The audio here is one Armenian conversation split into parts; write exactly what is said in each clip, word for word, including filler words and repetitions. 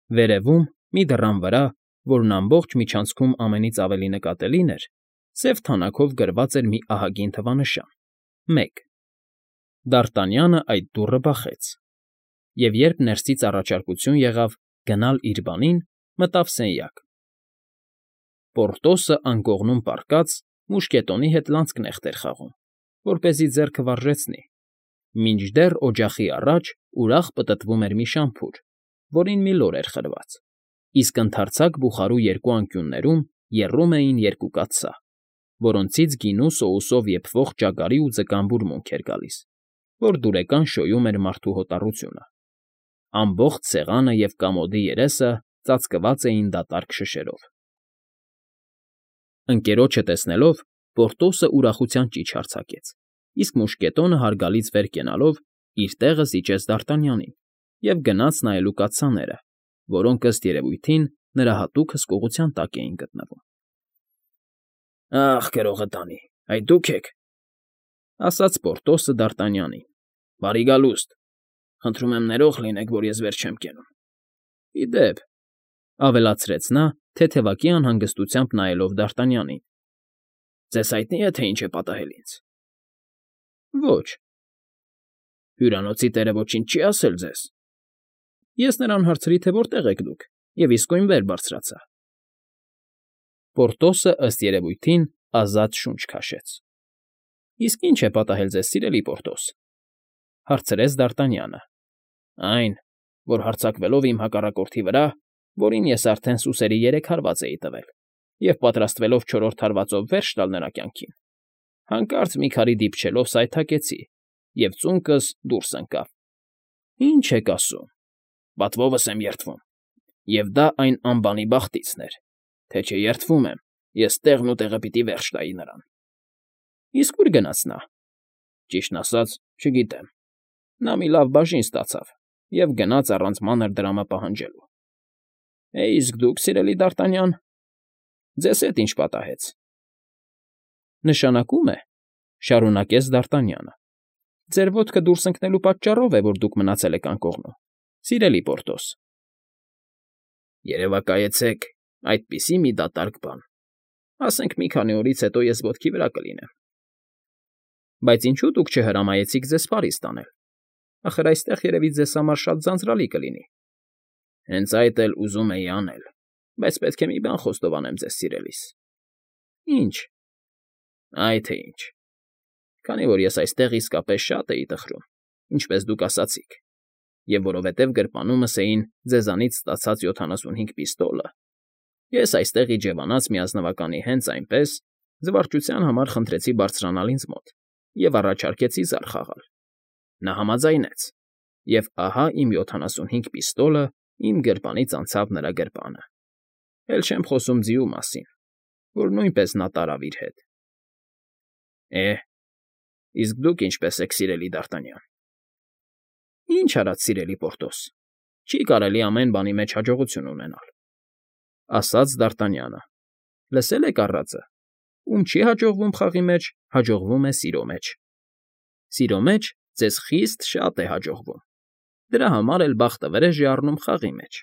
Վերևում, մի դռան վրա, որն ամբողջ միջանցքում ամենից ավելի նկատելին էր, սև թանաքով գրված էր մի ահագին թվանշան՝ մեկ. Դ'Արտանյանը այդ դուռը բախեց, և երբ ներսից առաջարկություն եղավ գնալ իր բանին, մտավ սենյակ. Պորտոսը անկողնում պառկած մուշկետոնի հետ լանցկնեղտ էր խաղում, որպեսզի ձեռքը վարժեցնի, մինչդեռ օջախի առաջ ուրախ պտտվում էր մի շամփուր, որին մի լոր էր խրված, իսկ ընդարձակ բուխարու երկու անկյուններում եռում էին երկու կաթսա, որոնցից գինու սոուսով եփվող ճագարի ու ձկան բուրմունք էր գալիս, որ դուրեկան շոյում էր մարդու հոտառությունը. ամբողջ սեղանը և կամոդի երեսը ծածկված էին դատարկ շշերով։ Ընկերոջը տեսնելով, Պորտոսը ուրախության ճիչ արձակեց, իսկ մուշկետոնը հարգալից վեր կենալով իր տեղը զիջեց Դ'Արտանյանին և գնաց նայելու կաթսաները, որոնք, ըստ երևույթին, նրա հատուկ հսկողության տակ էին գտնվում։ ֊ Ախ, գրողը տանի, այդ դուք եք,֊ ասաց Պորտոսը Դ'Արտանյանին։֊ Բարի գալուստ… Խնդրում եմ ներող լինեք, որ ես վեր չեմ կենում։ Ի դեպ,֊ ավելացրեց նա, թեթևակի անհանգստությամբ նայելով Դ'Արտանյանին,֊ ձեզ հայտնի է, թե ինչ է պատահել ինձ։ ֊ Ոչ։ ֊ Հյուրանոցի տերը ոչինչ չի՞ ասել ձեզ։ Ես նրան հարցրի, թե որտեղ եք դուք, և իսկույն վեր բարձրացա։ Պորտոսը, ըստ երևույթին, ազատ շունչ քաշեց։ ֊ Իսկ ի՞նչ է պատահել ձեզ, սիրելի Պորտոս,֊ հարցրեց Դ'Արտանյանը։ ֊ Այն, որ հարձակվելով իմ հակառակորդի վրա, որին ես արդեն սուսերի երեք հարված էի տվել, և պատրաստվելով չորրորդ հարվածով վերջ տալ նրա կյանքին, հանկարծ մի քարի դիպչելով սայթաքեցի, և ծունկս դուրս ընկավ։ ֊ Ի՞նչ եք ասում,֊ պատվովս եմ երդվում, և դա այն անբանի բախտիցն էր, թե չէ երդվում եմ, ես տեղն ու տեղը պիտի վերջ տայի նրան։ ֊ Իսկ ո՞ւր գնաց նա։ ֊ Ճիշտն ասած, չգիտեմ. նա մի լավ բաժին ստացավ և գնաց առանց մանր դրամը պահանջելու։ ֊ Է, իսկ դուք, սիրելի Դ'Արտանյան, ձեզ հետ ի՞նչ պատահեց։ ֊ Նշանակում է,֊ շարունակեց Դ'Արտանյանը,֊ ձեր ոտքը դուրս ընկնելու պատճառով է, որ դուք մնացել եք անկողնում, սիրելի Պորտոս։ ֊ Երևակայեցեք այդպիսի մի դատարկ բան, ասենք մի քանի օրից հետո ես ոտքի վրա կլինեմ։ ֊ Բայց ինչո՞ւ դուք չհրամայեցիք ձեզ Փարիզ տանել, ախր այստեղ, երևի, ձեզ համար շատ ձանձրալի կլինի։ ֊ Հենց այդ էլ ուզում էի անել, բայց պետք է մի բան խոստովանեմ ձեզ, սիրելիս։ ֊ Ի՞նչ։ ֊ Այ թե ինչ. քանի որ ես այստեղ իսկապես շատ էի տխրում, ինչպես դուք ասացիք, և որովհետև գրպանումս էին ձեզանից ստացած յոթանասունհինգ պիստոլը, ես այստեղ իջևանած մի ազնվականի հենց այնպես, զվարճության համար խնդրեցի բարձրանալ ինձ մոտ և առաջարկեցի զար խաղալ։ Նա համաձայնեց, և ահա իմ յոթանասունհինգ պիստոլը իմ գրպանից անցավ նրա գրպանը, էլ չեմ խոսում ձիու մասին, որ նույնպես նա տարավ իր հետ։ ֊ Է, իսկ դուք ինչպե՞ս եք, սիրելի Դ'Արտանյան։ ֊ Ինչ արած, սիրելի Պորտոս, չի կարելի ամեն բանի մեջ հաջողություն ունենալ,֊ ասաց Դ'Արտանյանը։ ֊ Լսե՞լ եք առածը. ում չի հաջողվում խաղի մեջ, հաջողվում է սիրո մեջ։ Սիրո մեջ ձեզ խիստ շատ է հաջողվում, դրա համար էլ բախտվրեժ է առնում խաղի մեջ։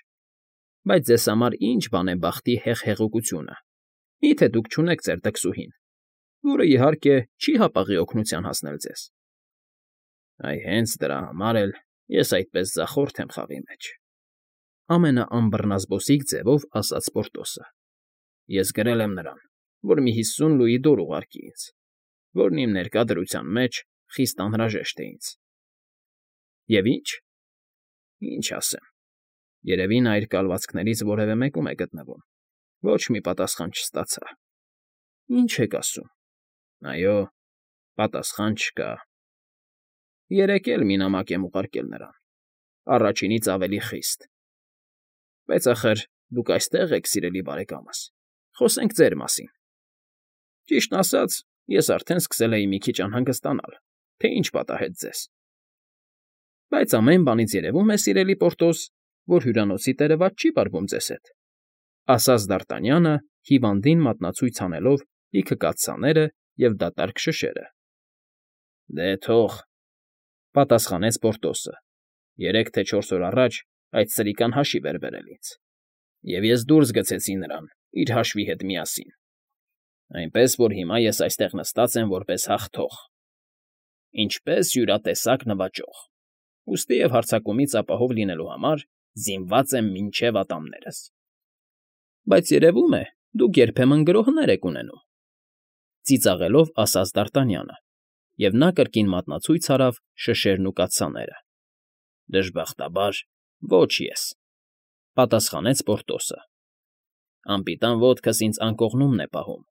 Բայց ձեզ համար ի՞նչ բան է բախտի հեղհեղուկությունը, մի՞թե դուք չունեք ձեր դքսուհին, որը, իհարկե, չի հապաղի օգնության հասնել ձեզ։ ֊ Այ հենց դրա համար էլ ես այդպես ձախորդ եմ խաղի մեջ,֊ ամենաամբռնազբոսիկ ձևով ասաց Պորտոսը։ ֊ Ես գրել եմ նրան, որ մի հիսուն լուի դուռ ուղարկի ինձ, որն իմ ներկա դրության մեջ խիստ անհրաժեշտ է ինձ։ ֊ Եվ ի՞նչ։ ֊ Ինչ ասեմ, երևի նա իր կալվածքներից որևէ մեկում է գտնվում, ոչ մի պատասխան չստացա։ ֊ Ի՞նչ եք ասում։ ֊ Այո, պատասխան չկա։ Երեկ էլ մի նամակ եմ ուղարկել նրան, առաջինից ավելի խիստ։ Բայց, ախր, դուք այստեղ եք, սիրելի բարեկամս, խոսենք ձեր մասին։ Ճիշտն ասած, ես արդեն սկսել էի մի քիչ անհանգստանալ, թե ինչ պատահեց ձեզ։ Բայց ամեն բանից երևում է, սիրելի Պորտոս, որ հյուրանոցի տերը վատ չի վարվում ձեզ հետ,֊ ասաց Դ'Արտանյանը, հիվանդին մատնացույց անելով լիքը կաթսաները և դատարկ շշերը։ ֊ Դե թող,֊ պատասխանեց Պորտոսը,֊ երեք թե չորս օր առաջ այդ սրիկան հաշիվ էր բերել ինձ, և ես դուրս գցեցի նրան իր հաշվի հետ միասին, այնպես որ հիմա ես այստեղ նստած եմ որպես հաղթող, ինչպես յուրատեսակ նվաճող, ուստի և հարձակումից ապահով լինելու համար զինված եմ մինչև ատամներս։ ֊ Բայց երևում է, դուք երբեմն գրոհներ եք ունենում,֊ ծիծաղելով ասաց Դարտանյանը, և նա կրկին մատնացույց արավ շշերն ու կաթսաները։ ֊ Դժբախտաբար, ոչ ես,֊ պատասխանեց Պորտոսը։ Անպիտան ոտքս ինձ անկողնումն է պահում,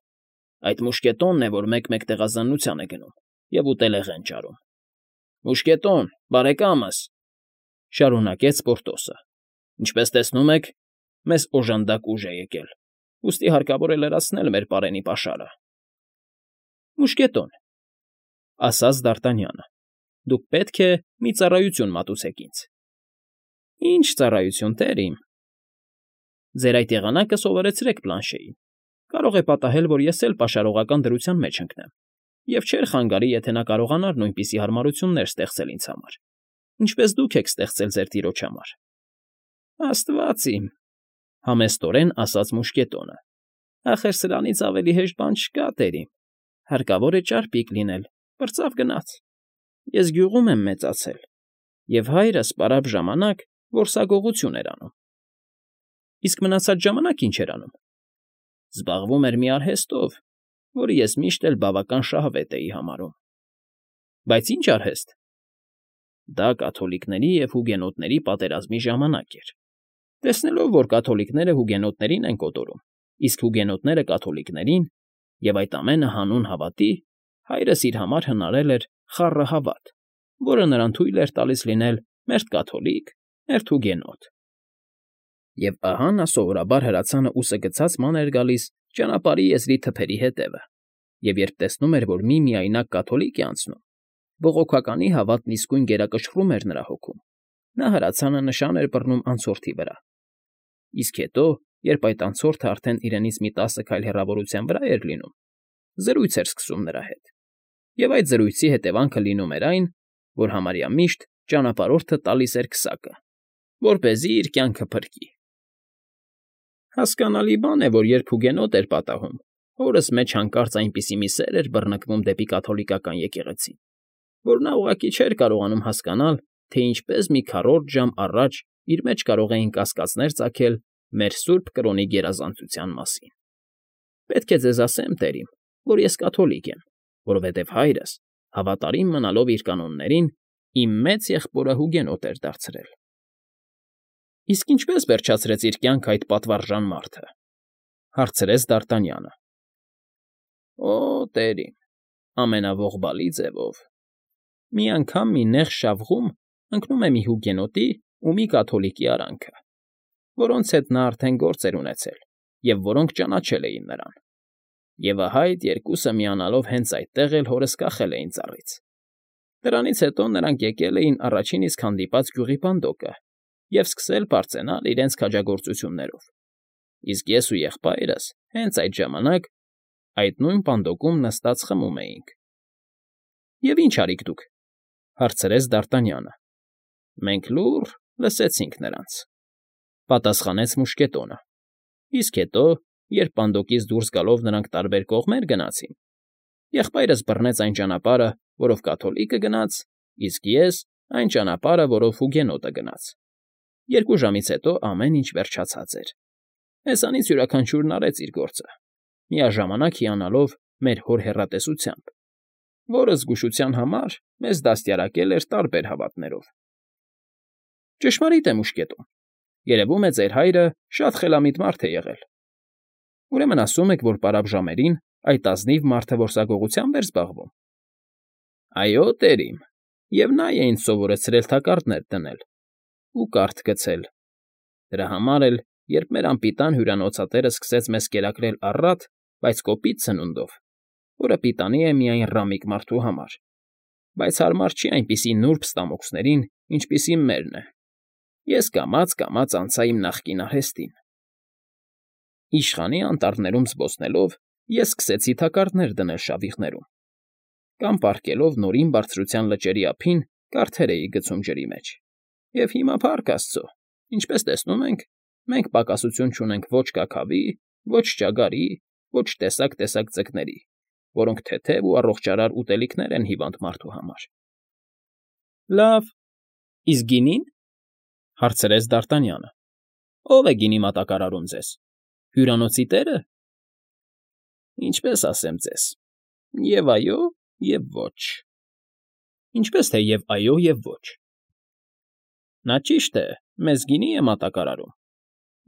այդ մուշկետոնն է, որ մեկ֊մեկ տեղազանության է գնում և ուտելեղեն ճարում։ ֊ Մուշկետո՛ն, բարեկա՛մս,֊ շարունակեց Պորտոսը,֊ ինչպես տեսնում եք, մեզ օժանդակ ուժ է եկել, ուստի հարկավոր է լրացնել մեր պարենի պաշարը։ ֊ Մուշկետո՛ն,֊ ասաց Դարտանյանը,֊ դուք պետք է մի ծառայություն մատուցեք ինձ։ ֊ Ի՞նչ ծառայություն, տեր իմ։ ֊ Ձեր այդ եղանակը սովորեցրեք Բլանշեին, կարող է պատահել, որ ես էլ պաշարողական դրության մեջ ընկնեմ, և չէր խանգարի, եթե նա կարողանար նույնպիսի հարմարություններ ստեղծել ինձ համար, ինչպես դուք եք ստեղծել ձեր տիրոջ համար։ ֊ Աստված իմ,֊ համեստորեն ասաց մուշկետոնը,֊ ախր սրանից ավելի հեշտ բան չկա, տեր իմ, հարկավոր է ճարպիկ լինել, պրծավ գնաց։ Ես գյուղում եմ մեծացել, և հայրս պարապ ժամանակ որսագողություն էր անում։ ֊ Իսկ մնացած ժամանակ ի՞նչ էր անում։ ֊ Զբաղվում էր մի արհեստով, որը ես միշտ էլ բավական շահավետ էի համարում։ ֊ Բայց ի՞նչ արհեստ։ ֊ Դա կաթոլիկների և հուգենոտների պատերազմի ժամանակ էր։ Տեսնելով, որ կաթոլիկները հուգենոտներին են կոտորում, իսկ հուգենոտները կաթոլիկներին, և այդ ամենը հանուն հավատի, հայրս իր համար հնարել էր խառը հավատ, որը նրան թույլ էր տալիս լինել մերթ կաթոլիկ, մերթ հուգենոտ։ Եվ ահա նա սովորաբար հրացանը ուսը գցած ման էր գալիս ճանապարհի եզրի թփերի հետևը, և երբ տեսնում էր, որ մի միայնակ կաթոլիկ է անցնում, բողոքականի հավատն իսկույն գերակշռում էր նրա հոգում, նա հրացանը նշան էր բռնում անցորդի վրա։ Իսկ հետո, երբ այդ անցորդը արդեն իրենից մի տասը քայլ հեռավորության վրա էր լինում, զրույց էր սկսում նրա հետ, և այդ զրույցի հետևանքը լինում էր այն, որ համարյա միշտ ճանապարհորդը տալիս էր քսակը, որպեսզի իր կյանքը փրկի։ Հասկանալի բան է, որ երբ հուգենոտ էր պատահում, հորս մեջ հանկարծ այնպիսի մի սեր էր բռնկվում դեպի կաթոլիկական եկեղեցին, որ նա ուղղակի չէր կարողանում հասկանալ, թե ինչպես մի քառորդ ժամ առաջ իր մեջ կարող էին կասկածներ ծագել մեր սուրբ կրոնի գերազանցության մասին։ Պետք է ձեզ ասեմ, տեր իմ, որ ես կաթոլիկ եմ, որովհետև հայրս, հավատարիմ մնալով իր կանոններին, իմ մեծ եղբորը հուգենոտ էր դարձրել։ ֊ Իսկ ինչպե՞ս վերջացրեց իր կյանքը այդ պատվարժան մարդը,֊ հարցրեց Դարտանյանը։ ֊ Օ, տեր իմ, ամենաողբալի ձևով… Մի անգամ մի նեղ շավղում ընկնում է մի հուգենոտի ու մի կաթոլիկի արանքը, որոնց հետ նա արդեն գործ էր ունեցել և որոնք ճանաչել էին նրան, և ահա այդ երկուսը միանալով հենց այդտեղ էլ հորս կախել էին ծառից։ Դրանից հետո նրանք եկել էին առաջին իսկ հանդիպած գյուղի պանդոկը և սկսել բարձենալ իրենց քաջագործություններով, իսկ ես ու եղբայրս հենց այդ ժամանակ այդ նույն պանդոկում նստած խմում էինք։ ֊ Եվ ի՞նչ արիք դուք,֊ հարցրեց Դարտանյանը։ ֊ Մենք լուռ լսեցինք նրանց,֊ պատասխանեց մուշկետոնը։ Իսկ հետո, երբ պանդոկից դուրս գալով նրանք տարբեր կողմեր գնացին, եղբայրս բռնեց այն ճանապարհը, որով կաթոլիկը գնաց, իսկ ես՝ այն ճանապարհը, որով հուգենոտը գնաց։ Երկու ժամից հետո ամեն ինչ վերջացած էր։ Մեզանից յուրաքանչյուրն արեց իր գործը, միաժամանակ հիանալով մեր հոր հեռատեսությամբ, որը զգուշության համար մեզ դաստիարակել էր տարբեր հավատներով։ ֊ Ճշմարիտ է, մուշկետո՛ն, երևում է ձեր հայրը շատ խելամիտ մարդ է եղել։ ֊ Ուրեմն ասում եք, որ պարապ ժամերին այդ ազնիվ մարդը որսագողությամբ էր զբաղվում։ ֊ Այո, տեր իմ, և նա է ինձ սովորեցրել թակարդներ դնել ու կարթ գցել։ Դրա համար էլ, երբ մեր անպիտան հյուրանոցատերը սկսեց մեզ կերակրել առատ, բայց կոպիտ սնունդով, որը պիտանի է միայն ռամիկ մարդու համար, բայց հարմար չի այնպիսի նուրբ ստամոքսներին, ինչպիսին մերն է, ես կամաց֊կամաց անցա իմ նախկին արհեստին։ Իշխանի անտառներում զբոսնելով ես սկսեցի թակարդներ դնել շավիղներում, կամ պառկելով նորին բարձրության լճերի ափին կարթեր էի գցում ջրի մեջ, և հիմա, փառք աստծո, Ինչպես տեսնում եք, մենք պակասություն չունենք ոչ կաքավի, ոչ ճագարի, ոչ տեսակ֊տեսակ ձկների, որոնք թեթև ու առողջարար ուտելիքներ են հիվանդ մարդու համար։ ֊ Լավ, իսկ գինի՞ն,֊ հարցրեց Դ'Արտանյանը։ ֊ Ո՞վ է գինի մատակարարում ձեզ, հյուրանոցի տե՞րը։ ֊ Ինչպես ասեմ ձեզ. և այո, և ոչ։ ֊ Ինչպես թե և այո, և ոչ։ ֊ Նա, ճիշտ է, մեզ գինի է մատակարարում,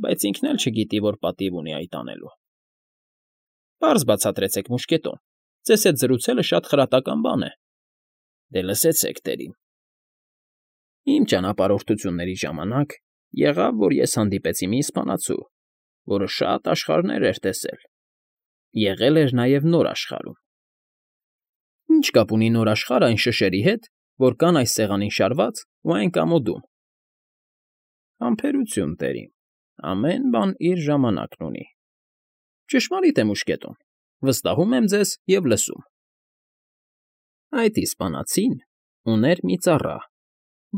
բայց ինքն էլ չգիտի, որ պատիվ ունի այդ անելու։ ֊ Պարզ բացատրեցեք, մուշկետոն, ձեզ հետ զրուցելը շատ խրատական բան է։ ֊ Դե լսեցեք, տերին. իմ ճանապարհորդությունների ժամանակ եղավ, որ ես հանդիպեցի մի իսպանացու, որը շատ աշխարհներ էր տեսել, եղել էր նաև Նոր աշխարհում։ ֊ Ի՞նչ կապ ունի Նոր աշխարհը այն շշերի հետ, որ կան այս սեղանին շարված ու այն կամոդում։ ֊ Համբերություն, տերին, ամեն բան իր ժամանակն ունի։ ֊ Ճշմարիտ է, մուշկետոն, վստահում եմ ձեզ և լսում։ Այդ իսպանացին ուներ մի ծառա,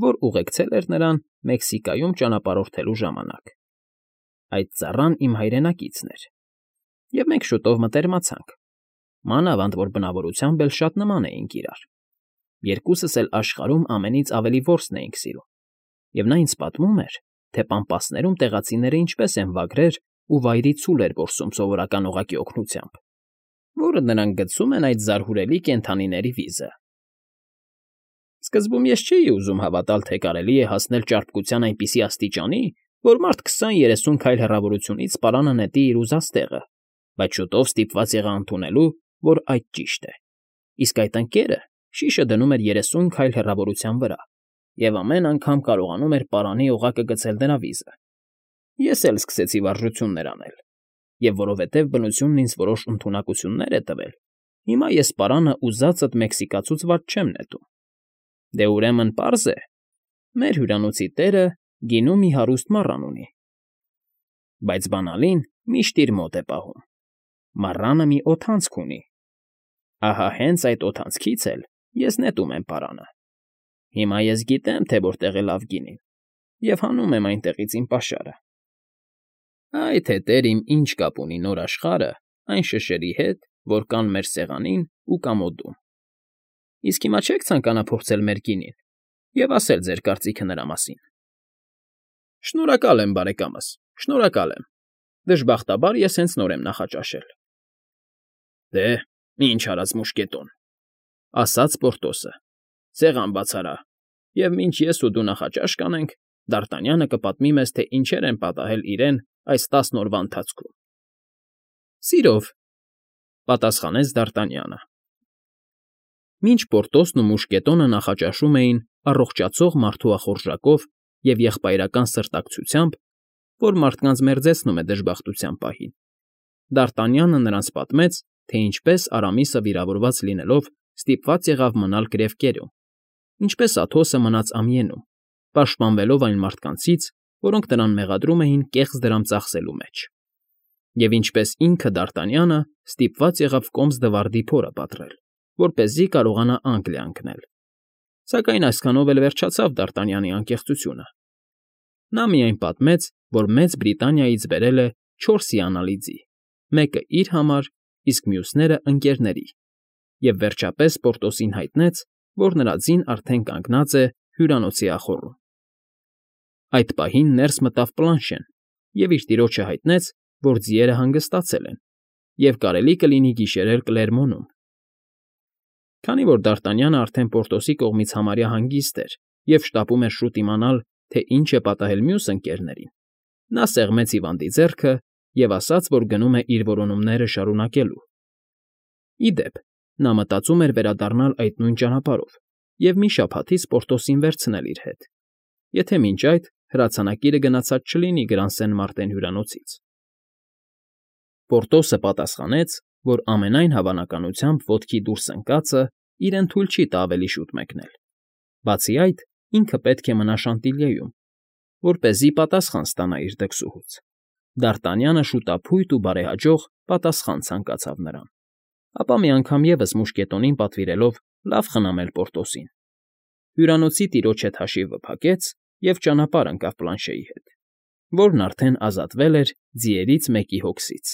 որ ուղեկցել էր նրան Մեքսիկայում ճանապարհորդելու ժամանակ։ Այդ ծառան իմ հայրենակիցն էր, և մենք շուտով մտերմացանք, մանավանդ որ բնավորությամբ էլ շատ նման էինք իրար. երկուսս էլ աշխարհում ամենից ավելի որսն էինք սիրում, և նա ինձ պատմում էր, թե պամպասներում տեղացիները ինչպես են վագրեր ու վայրի ցուլեր որսում սովորական օղակի օգնությամբ, որը նրանք գցում են այդ զարհուրելի կենդանիների վիզը։ Սկզբում ես չէի ուզում հավատալ, թե կարելի է հասնել ճարպկության այնպիսի աստիճանի, որ մարդ քսան֊երեսուն քայլ հեռավորությունից պարանը նետի իր ուզած տեղը, բայց շուտով ստիպված եղա ընդունելու, որ այդ ճիշտ է, իսկ այդ ընկերը շիշը դնում էր երեսուն քայլ հեռավորության վրա և ամեն անգամ կարողանում էր պարանի օղակը գցել նրա վիզը։ Ես էլ սկսեցի վարժություններ անել, և որովհետև բնությունն ինձ որոշ ընդունակություններ է տվել, հիմա ես պարանը ուզածդ մեքսիկացուց վատ չեմ նետում։ Դե ուրեմն պարզ է, մեր հյուրանոցի տերը գինու մի հարուստ մառան ունի, բայց բանալին միշտ իր մոտ է պահում։ Մառանը մի օդանցք ունի, ահա հենց այդ օդանցքից էլ ես նետում եմ պարանը։ Հիմա ես գիտեմ, թե որտեղ է լավ գինին, և հանում եմ այնտեղից իմ պաշարը։ Այ թե տեր իմ ինչ կապ ունի Նոր աշխարհը այն շշերի հետ, որ կան մեր սեղանին ու կամոդում։ Իսկ հիմա չե՞ք ցանկանա փորձել մեր գինին և ասել ձեր կարծիքը նրա մասին։ ֊ Շնորհակալ եմ, բարեկամս, շնորհակալ եմ, դժբախտաբար ես հենց նոր եմ նախաճաշել։ ֊ Դե, ինչ արած, մուշկետոն,֊ ասաց Պորտոսը,֊ սեղան բաց արա, և մինչ ես ու դու նախաճաշ կանենք, Դ'Արտանյանը կպատմի մեզ, թե ինչեր են պատահել իրեն այս տասն օրվա ընթացքում։ ֊ Սիրով,֊ պատասխանեց Դ'Արտանյանը։ Մինչ Պորտոսն ու մուշկետոնը նախաճաշում էին առողջացող մարդու ախորժակով և եղբայրական սրտակցությամբ, որ մարդկանց մերձեցնում է դժբախտության պահին, Դ'Արտանյանը նրանց պատմեց, թե ինչպես Արամիսը վիրավորված լինելով ստիպված եղավ մնալ գրևկերում, ինչպես Աթոսը մնաց ամիենում, պաշտպանվելով այն մարդկանցից, որոնք նրան մեղադրում էին կեղծ դրամ ծախսելու մեջ, և ինչպես ինքը Դ'Արտանյանը ստիպված եղավ Կոմս֊դվարդի փորը պատռել, որպեսզի կարողանա Անգլիա ընկնել։ Սակայն այսքանով էլ վերջացավ Դ'Արտանյանի անկեղծությունը։ Նա միայն պատմեց, որ Մեծ Բրիտանիայից բերել է չորս հիանալի ձի, մեկը իր համար, իսկ մյուսները ընկերների, և վերջապես Պորտոսին հայտնեց, որ նրա ձին արդեն կանգնած է հյուրանոցի ախոռում։ Այդ պահին ներս մտավ Պլանշեն և իր տիրոջը հայտնեց, որ ձիերը հանգստացել են, և կարելի կլինի գիշերել Կլերմոնում։ Քանի որ Դ'Արտանյանը արդեն Պորտոսի կողմից համարյա հանգիստ էր և շտապում էր շուտ իմանալ, թե ինչ է պատահել մյուս ընկերներին, նա սեղմեց հիվանդի ձեռքը և ասաց, որ գնում է իր որոնումները շարունակելու։ Ի դեպ, նա մտածում էր վերադառնալ այդ նույն ճանապարհով և մի շաբաթից Պորտոսին վերցնել իր հետ, եթե մինչ այդ հրացանակիրը գնացած չլինի Գրանսեն֊Մարտեն հյուրանոցից։ Պորտոսը պատասխանեց, որ ամենայն հավանականությամբ ոտքի դուրս ընկածը իրեն թույլ չի տա ավելի շուտ մեկնել։ Բացի այդ, ինքը պետք է մնա Շանտիլյեում, որպեսզի պատասխան ստանա իր դքսուհուց։ Դ'Արտանյանը շուտափույթ ու բարեհաջող պատասխան ցանկացավ նրան, ապա մի անգամ ևս մուշկետոնին պատվիրելով լավ խնամել Պորտոսին։ Հյուրանոցի տիրոջ հետ հաշիվը փակեց և ճանապարհ ընկավ Պլանշեի հետ։ Որն արդեն ազատվել էր ձիերից մեկի հոգսից։